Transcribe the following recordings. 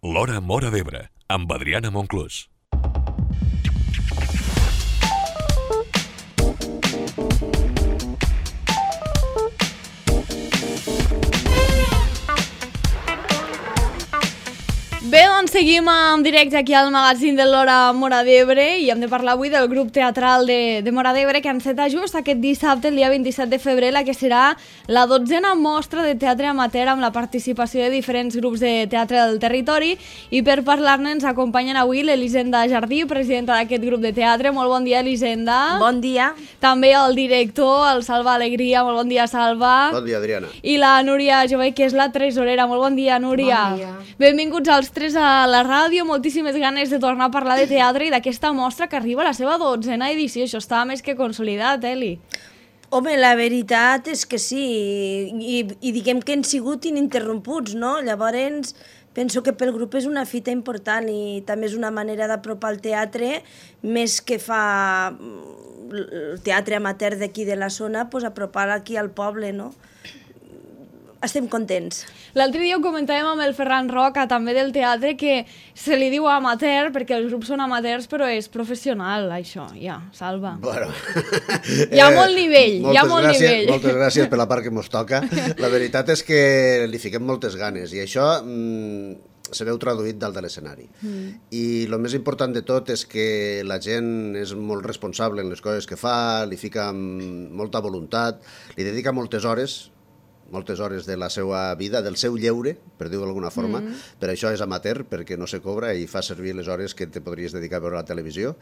L'Hora Móra d'Ebre, amb Adriana Monclús. Bé, doncs seguim en directe aquí al magazín de l'Hora Móra d'Ebre i hem de parlar avui del grup teatral de Móra d'Ebre que enceta just aquest dissabte, el dia 27 de febrer, la que serà la 12a mostra de teatre amateur amb la participació de diferents grups de teatre del territori, i per parlar-ne ens acompanyen avui l'Elisenda Jardí, presidenta d'aquest grup de teatre. Molt bon dia, Elisenda. Bon dia. També el director, el Salva Alegria. Molt bon dia, Salva. Bon dia, Adriana. I la Núria Jové, que és la tresorera. Molt bon dia, Núria. Bon dia. Benvinguts als tres a la ràdio, moltíssimes ganes de tornar a parlar de teatre i d'aquesta mostra que arriba a la seva 12a edició. Això està més que consolidat, Eli. Home, la veritat és que sí, i diguem que han sigut ininterromputs, no? Llavors, penso que pel grup és una fita important i també és una manera d'apropar el teatre, més que fa el teatre amateur d'aquí de la zona, pues apropar aquí al poble, no? Estem contents. L'altre dia ho comentàvem amb el Ferran Roca, també del teatre, que se li diu amateur perquè els grups són amateurs, però és professional, això, ja, Salva. Bueno. Hi ha molt nivell, hi ha molt nivell. Moltes gràcies per la part que mos toca. La veritat és que li fiquem moltes ganes i això se veu traduït dalt de l'escenari. I el més important de tot és que la gent és molt responsable en les coses que fa, li fica amb molta voluntat, li dedica moltes hores de la seva vida, del seu lleure, per dir-ho d'alguna forma. Per això és amateur, perquè no se cobra i fa servir les hores que te podries dedicar a veure la televisió.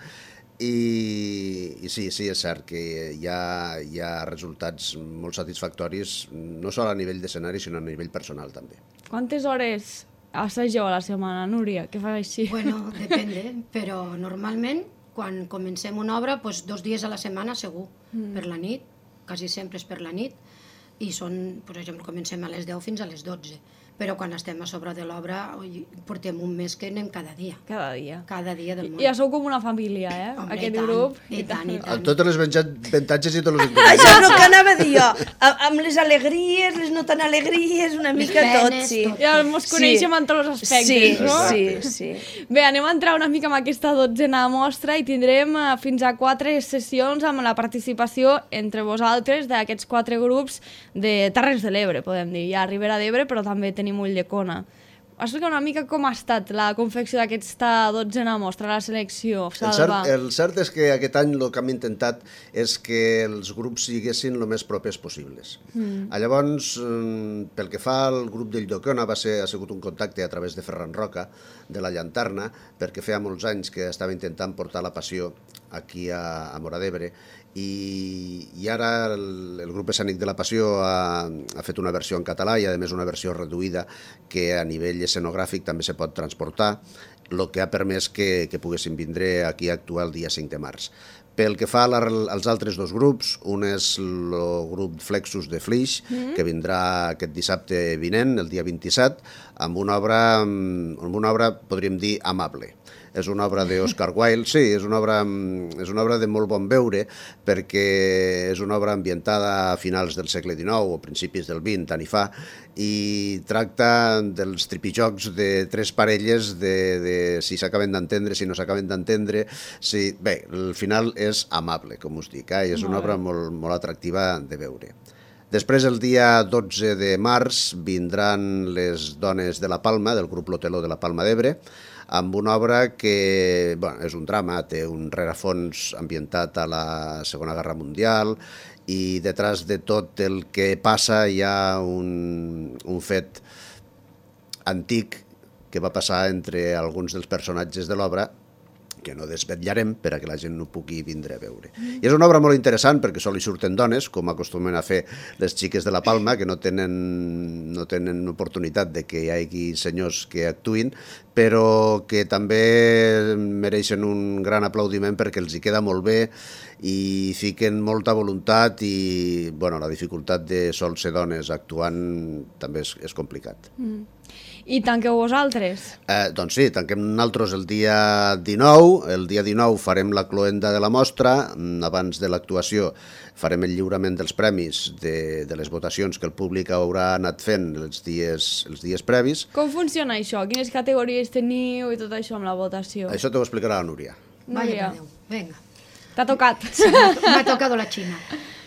I sí, és cert que hi ha resultats molt satisfactoris, no sols a nivell d'escenari, sinó a nivell personal també. Quantes hores assageu a la setmana, Núria? Què fas així? Bueno, depèn, però normalment quan comencem una obra, doncs 2 dies a la setmana segur, per la nit, quasi sempre és per la nit, i són, per exemple, comencem a les 10 fins a les 12. Però quan estem a sobre de l'obra portem un mes que anem cada dia. Cada dia. Cada dia del món. Ja sou com una família, Hombre, aquest grup. I tant. Amb totes les avantatges i tots els Això inconvenients. és el que anava a dir jo. Amb les alegries, les no tan alegries, una mica tot, penes, sí. tot. Ja ens coneixem en tots els aspectes, no? Sí. Bé, anem a entrar una mica en aquesta 12a mostra i tindrem fins a 4 sessions amb la participació entre vosaltres d'aquests 4 grups de Terres de l'Ebre, podem dir. Hi ha Ribera d'Ebre, però també tenim Ulldecona. Explica una mica com ha estat la confecció d'aquesta 12a mostra, la selecció, Salva. El cert és que aquest any el que hem intentat és que els grups siguessin el més propers possibles. Llavors, pel que fa al grup d'Ulldecona, ha sigut un contacte a través de Ferran Roca, de la Llanterna, perquè feia molts anys que estava intentant portar la passió aquí a Móra d'Ebre, i ara el grup escènic de la Passió ha fet una versió en català i a més una versió reduïda que a nivell escenogràfic també se pot transportar, el que ha permès que poguessin vindre aquí a actuar el dia 5 de març. Pel que fa als altres 2 grups, un és el grup Flexus de Flix, que vindrà aquest dissabte vinent, el dia 27, amb una obra, podríem dir, amable. És una obra d'Oscar Wilde, sí, és una obra de molt bon veure, perquè és una obra ambientada a finals del segle XIX o principis del XX, tant hi fa, i tracta dels tripijocs de 3 parelles de si s'acaben d'entendre, si no s'acaben d'entendre. Bé, el final és amable, com us dic, i és una obra molt atractiva de veure. Després, el dia 12 de març, vindran les dones de la Palma, del grup L'Hoteló de la Palma d'Ebre, amb una obra que és un drama, té un rerefons ambientat a la Segona Guerra Mundial i detrás de tot el que passa hi ha un fet antic que va passar entre alguns dels personatges de l'obra que no desvetllarem per a que la gent no pugui vindre a veure. I és una obra molt interessant perquè sol hi surten dones, com acostumen a fer les xiques de la Palma, que no tenen oportunitat de que hi hagi senyors que actuïn, però que també mereixen un gran aplaudiment perquè els hi queda molt bé i fiquen molta voluntat i la dificultat de sol ser dones actuant també és complicat. I tanqueu vosaltres? Doncs sí, tanquem nosaltres el dia 19. El dia 19 farem la cloenda de la mostra. Abans de l'actuació farem el lliurament dels premis de les votacions que el públic haurà anat fent els dies previs. Com funciona això? Quines categories teniu i tot això amb la votació? Això t'ho explicarà la Núria. Vaya per Déu, venga. T'ha tocat. Sí, m'ha tocado la Xina.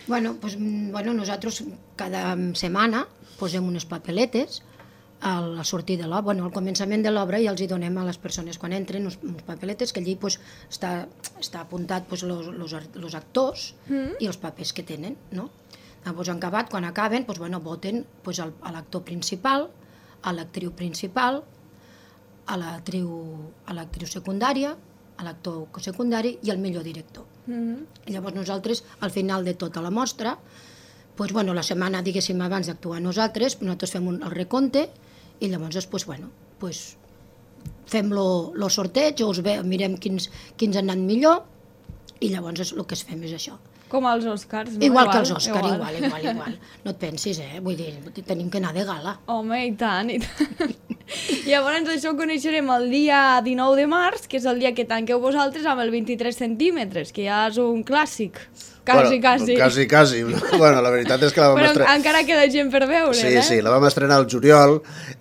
Bueno, nosaltres cada setmana posem unes papeletes a la sortida de l'obra, bueno, al començament de l'obra, i els hi donem a les persones quan entren uns papeletes que allí està apuntat els actors i els papers que tenen, no? Llavors, quan acaben, voten a l'actor principal, a l'actriu principal, a l'actriu secundària, a l'actor secundari i al millor director. I llavors nosaltres, al final de tota la mostra, la setmana, diguéssim, abans d'actuar nosaltres fem el recompte i llavors després, fem el sorteig, mirem quins han anat millor i llavors el que fem és això. Com als Oscars, no? Igual que els Oscars, igual. No et pensis, vull dir, tenim que anar de gala. Home, i tant, i tant. Llavors això ho coneixerem el dia 19 de març, que és el dia que tanqueu vosaltres amb el 23 centímetres, que ja és un clàssic. Quasi. Bueno, la veritat és que la vam estrenar... Però encara queda gent per veure, Sí, la vam estrenar al juliol,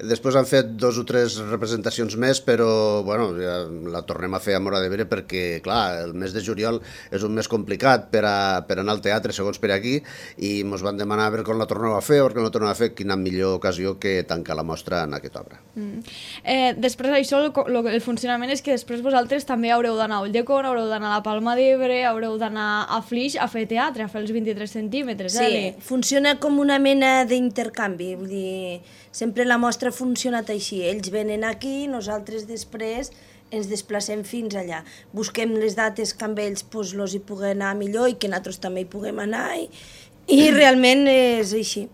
després han fet 2 o 3 representacions més, però, ja la tornem a fer a Móra d'Ebre perquè, clar, el mes de juliol és un mes complicat per anar al teatre, segons per aquí, i ens van demanar a veure com la torneu a fer, perquè no la torneu a fer, quina millor ocasió que tancar la mostra en aquesta obra. Després d'això, el funcionament és que després vosaltres també haureu d'anar a Ulldecona, haureu d'anar a la Palma d'Ebre, haureu d'anar a Flix a fer teatre, a fer els 23 centímetres. Sí, funciona com una mena d'intercanvi, vull dir, sempre la mostra ha funcionat així, ells venen aquí, nosaltres després ens desplacem fins allà, busquem les dates que amb ells els hi pugui anar millor i que nosaltres també hi puguem anar i realment és així.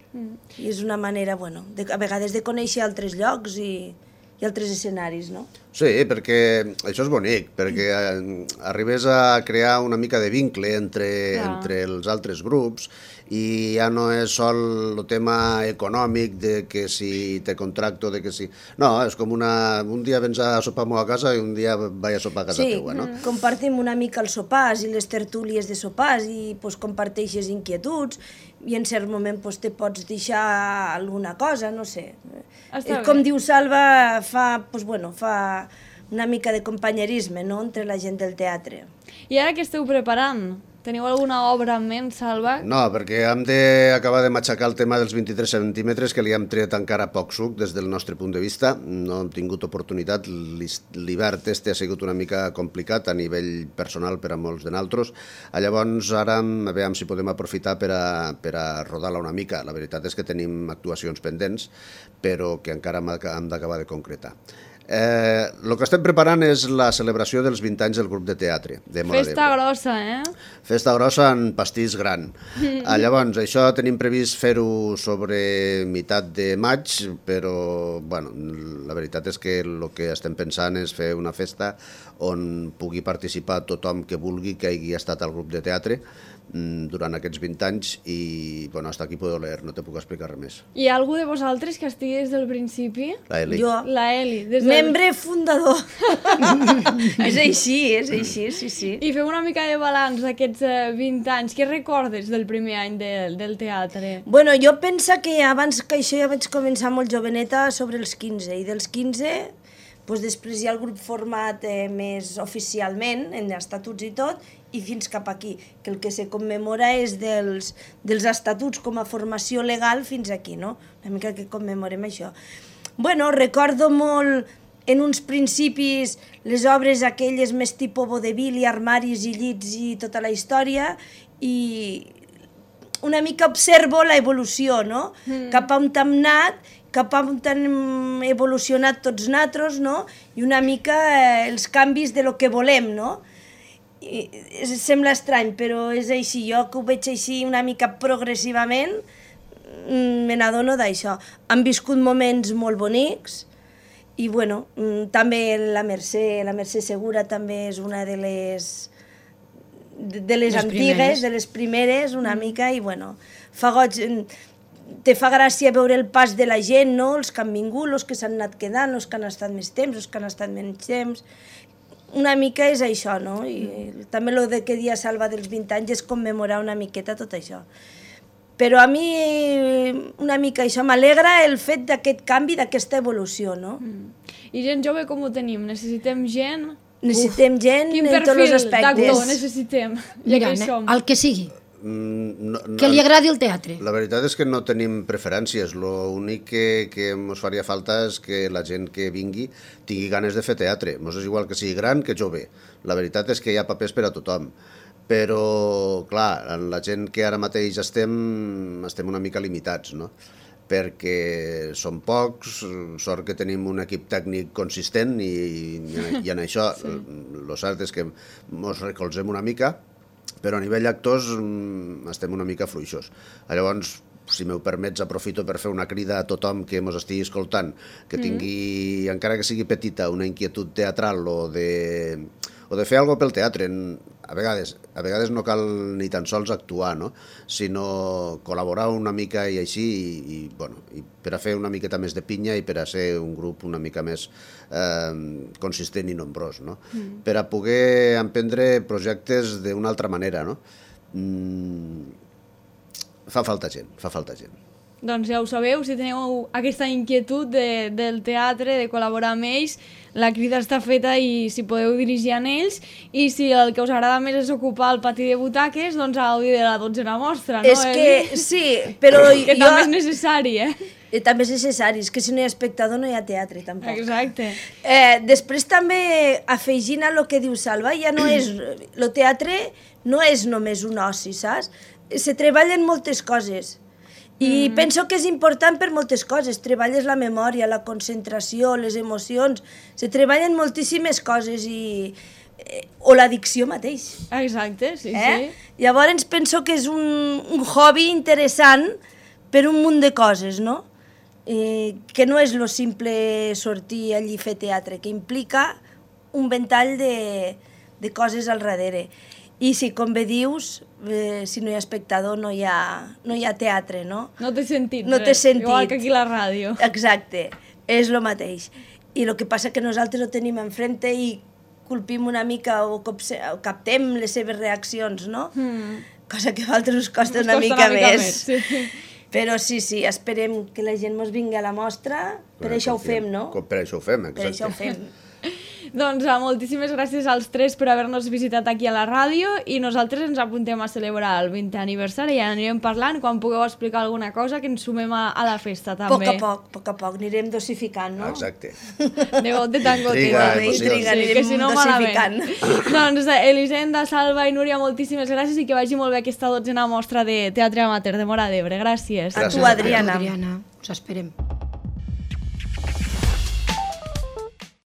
I és una manera, a vegades de conèixer altres llocs i altres escenaris, no? Sí, perquè això és bonic, perquè arribes a crear una mica de vincle entre els altres grups i ja no és sol el tema econòmic de que si te contracto, de que si... No, és com un dia vens a sopar a casa i un dia vaig a sopar a casa teua, no? Sí, compartim una mica els sopars i les tertúlies de sopars i comparteixes inquietuds i en cert moment te pots deixar alguna cosa, no sé. Com diu Salva, fa una mica de companyerisme, no?, entre la gent del teatre. I ara què esteu preparant? Teniu alguna obra en ment, Salva? No, perquè hem d'acabar de matxacar el tema dels 23 centímetres, que li hem tret encara poc suc des del nostre punt de vista. No hem tingut oportunitat. L'hivern ha sigut una mica complicat a nivell personal per a molts de nosaltres. Llavors, ara veiem si podem aprofitar per a rodar-la una mica. La veritat és que tenim actuacions pendents, però que encara hem d'acabar de concretar. El que estem preparant és la celebració dels 20 anys del grup de teatre de Móra d'Ebre. Festa grossa, Festa grossa en pastís gran. Llavors, això tenim previst fer-ho sobre meitat de maig, però la veritat és que el que estem pensant és fer una festa on pugui participar tothom que vulgui que hagi estat al grup de teatre durant aquests 20 anys i, hasta aquí puedo leer, no te puc explicar res més. Hi ha algú de vosaltres que estigui des del principi? La Eli. Jo. La Eli. Membre fundador. És així, sí. I fem una mica de balanç d'aquests 20 anys. Què recordes del primer any del teatre? Bueno, jo penso que abans que això ja vaig començar molt joveneta sobre els 15, i dels 15 després hi ha el grup format més oficialment, en estatuts i tot, i fins cap aquí, que el que se commemora és dels estatuts com a formació legal fins aquí, no? Una mica que commemorem això. Bueno, recordo molt en uns principis les obres aquelles més tipus vodevil i armaris i llits i tota la història, i una mica observo la evolució, no? Cap a on hem anat, cap a on hem evolucionat tots nosaltres, no? I una mica els canvis de lo que volem, no? Sembla estrany, però és així. Jo que ho veig així una mica progressivament, me n'adono d'això. Han viscut moments molt bonics i, bueno, també la Mercè Segura també és una de les antigues, de les primeres, una mica, i, bueno, fa goig. te fa gràcia veure el pas de la gent, no? Els que han vingut, els que s'han anat quedant, els que han estat més temps, els que han estat menys temps. Una mica és això, no? I també el que dia Salva dels 20 anys és commemorar una miqueta tot això. Però a mi una mica això m'alegra el fet d'aquest canvi, d'aquesta evolució, no? I gent jove com ho tenim? Necessitem gent? Necessitem gent en tots els aspectes. Quin perfil d'actor necessitem? Mira, el que sigui. Que li agradi el teatre. La veritat és que no tenim preferències. L'únic que ens faria falta és que la gent que vingui tingui ganes de fer teatre. Ens és igual que sigui gran que jove. La veritat és que hi ha papers per a tothom. Però, clar, en la gent que ara mateix estem una mica limitats, no? Perquè som pocs, sort que tenim un equip tècnic consistent i en això el cert és que ens recolzem una mica, però a nivell actors estem una mica fluixos. Llavors, si m'ho permets, aprofito per fer una crida a tothom que ens estigui escoltant, que tingui, encara que sigui petita, una inquietud teatral o de fer alguna cosa pel teatre. A vegades no cal ni tan sols actuar, no? Sinó col·laborar una mica i així, i per a fer una miqueta més de pinya i per a ser un grup una mica més consistent i nombrós, no? Per a poder emprendre projectes d'una altra manera, no? Fa falta gent. Doncs ja ho sabeu, si teniu aquesta inquietud del teatre, de col·laborar amb ells, la crida està feta i si podeu dirigir en ells, i si el que us agrada més és ocupar el pati de butaques, doncs a gaudir de la 12a mostra, no? És que sí, però que també és necessari, També és necessari, és que si no hi ha espectador no hi ha teatre, tampoc. Exacte. Després també, afegint a lo que diu Salva, ja no és... El teatre no és només un oci, saps? Se treballen moltes coses. I penso que és important per moltes coses. Treballes la memòria, la concentració, les emocions. Se treballen moltíssimes coses o l'addicció mateix. Exacte, sí. Llavors penso que és un hobby interessant per un munt de coses, no? Que no és lo simple sortir allí a fer teatre, que implica un ventall de coses al darrere. I sí, com bé dius, si no hi ha espectador no hi ha teatre, no? No té sentit. No té sentit. Igual que aquí a la ràdio. Exacte, és el mateix. I el que passa que nosaltres ho tenim enfrente i culpim una mica o captem les seves reaccions, no? Cosa que a altres us costa una mica més. Sí. Però sí, esperem que la gent ens vingui a la mostra, per això ho fem, no? Per això ho fem, exacte. Per això ho fem. Doncs moltíssimes gràcies als tres per haver-nos visitat aquí a la ràdio i nosaltres ens apuntem a celebrar el 20è aniversari i ja anirem parlant quan pugueu explicar alguna cosa que ens sumem a la festa també. A poc, anirem dosificant, no? Exacte. De got de tant gotet. Intriga, anirem dosificant. Doncs Elisenda, Salva i Núria, moltíssimes gràcies i que vagi molt bé aquesta 12a mostra de teatre amateur de Móra d'Ebre. Gràcies. A tu, Adriana. Us esperem.